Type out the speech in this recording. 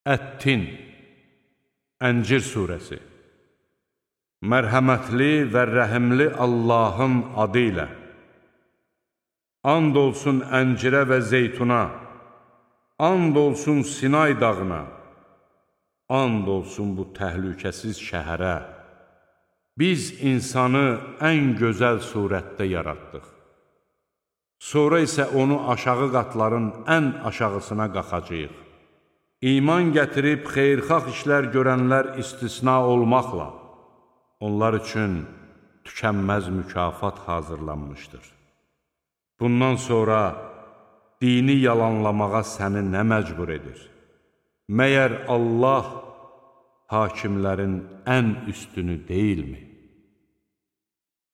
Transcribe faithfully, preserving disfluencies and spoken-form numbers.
Ət-Tin, Əncir surəsi. Mərhəmətli və rəhimli Allahın adı ilə. And olsun əncirə və zeytuna, and olsun Sinay dağına, and olsun bu təhlükəsiz şəhərə. Biz insanı ən gözəl surətdə yaratdıq. Sonra isə onu aşağı qatların ən aşağısına qaxacağıq. İman gətirib xeyirxah işlər görənlər istisna olmaqla, onlar üçün tükənməz mükafat hazırlanmışdır. Bundan sonra dini yalanlamağa səni nə məcbur edir? Məyər Allah hakimlərin ən üstünü deyilmi?